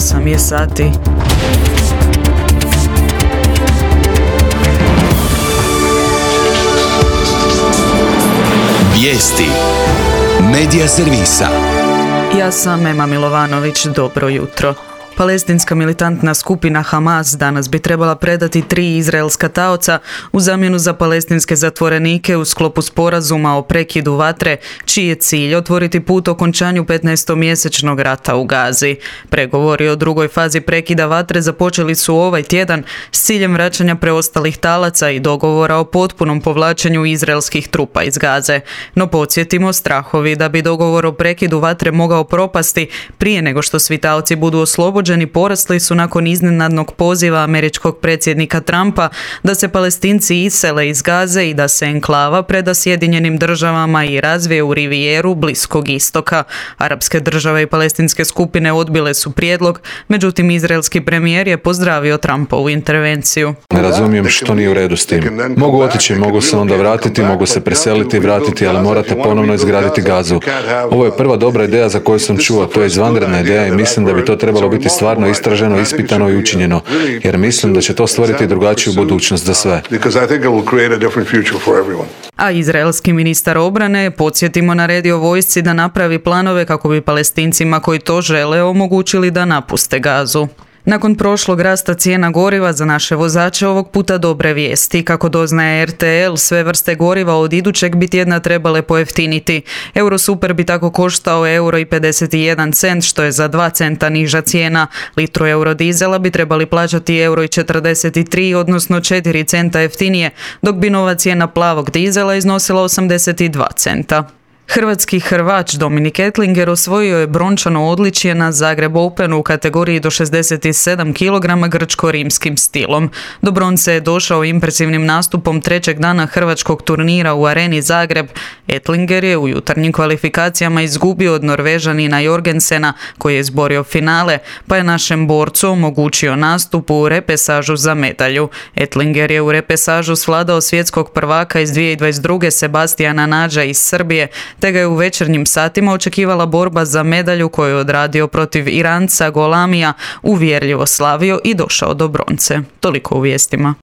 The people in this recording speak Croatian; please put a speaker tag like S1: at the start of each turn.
S1: 8 je sati.
S2: Vijesti Medija servisa.
S1: Ja sam Ema Milovanović, dobro jutro. Palestinska militantna skupina Hamas danas bi trebala predati 3 izraelska taoca u zamjenu za palestinske zatvorenike u sklopu sporazuma o prekidu vatre, čiji je cilj otvoriti put okončanju 15-mjesečnog rata u Gazi. Pregovori o drugoj fazi prekida vatre započeli su ovaj tjedan s ciljem vraćanja preostalih talaca i dogovora o potpunom povlačenju izraelskih trupa iz Gaze. No podsjetimo, strahovi da bi dogovor o prekidu vatre mogao propasti prije nego što svi taoci budu oslobođeni porasli su nakon iznenadnog poziva američkog predsjednika Trumpa da se Palestinci isele iz Gaze i da se enklava preda Sjedinjenim državama i razvije u rivijeru Bliskog istoka. Arapske države i palestinske skupine odbile su prijedlog, međutim izraelski premijer je pozdravio Trumpovu intervenciju.
S3: Ne razumijem što nije u redu s tim. Mogu otići, mogu se onda vratiti, mogu se preseliti i vratiti, ali morate ponovno izgraditi Gazu. Ovo je prva dobra ideja za koju sam čuo, to je izvanredna ideja i mislim da bi to trebalo biti stvarno istraženo, ispitano i učinjeno, jer mislim da će to stvoriti drugačiju budućnost za sve.
S1: A izraelski ministar obrane, podsjetimo, naredio vojsci da napravi planove kako bi Palestincima koji to žele omogućili da napuste Gazu. Nakon prošlog rasta cijena goriva za naše vozače, ovog puta dobre vijesti. Kako doznaje RTL, sve vrste goriva od idućeg bi tjedna trebale pojeftiniti. Eurosuper bi tako koštao €1,51, što je za 2 centa niža cijena. Litru eurodizela bi trebali plaćati €1,43, odnosno 4 centa jeftinije, dok bi nova cijena plavog dizela iznosila 82 centa. Hrvatski hrvač Dominik Ettlinger osvojio je brončano odličje na Zagreb Openu u kategoriji do 67 kg grčko-rimskim stilom. Do bronce je došao impresivnim nastupom trećeg dana hrvačkog turnira u Areni Zagreb. Ettlinger je u jutarnjim kvalifikacijama izgubio od Norvežanina Jorgensena, koji je izborio finale, pa je našem borcu omogućio nastup u repesažu za medalju. Ettlinger je u repesažu svladao svjetskog prvaka iz 2022. Sebastijana Nađa iz Srbije, te ga je u večernjim satima očekivala borba za medalju koju je odradio protiv Iranca Golamija, uvjerljivo slavio i došao do bronce. Toliko u vijestima.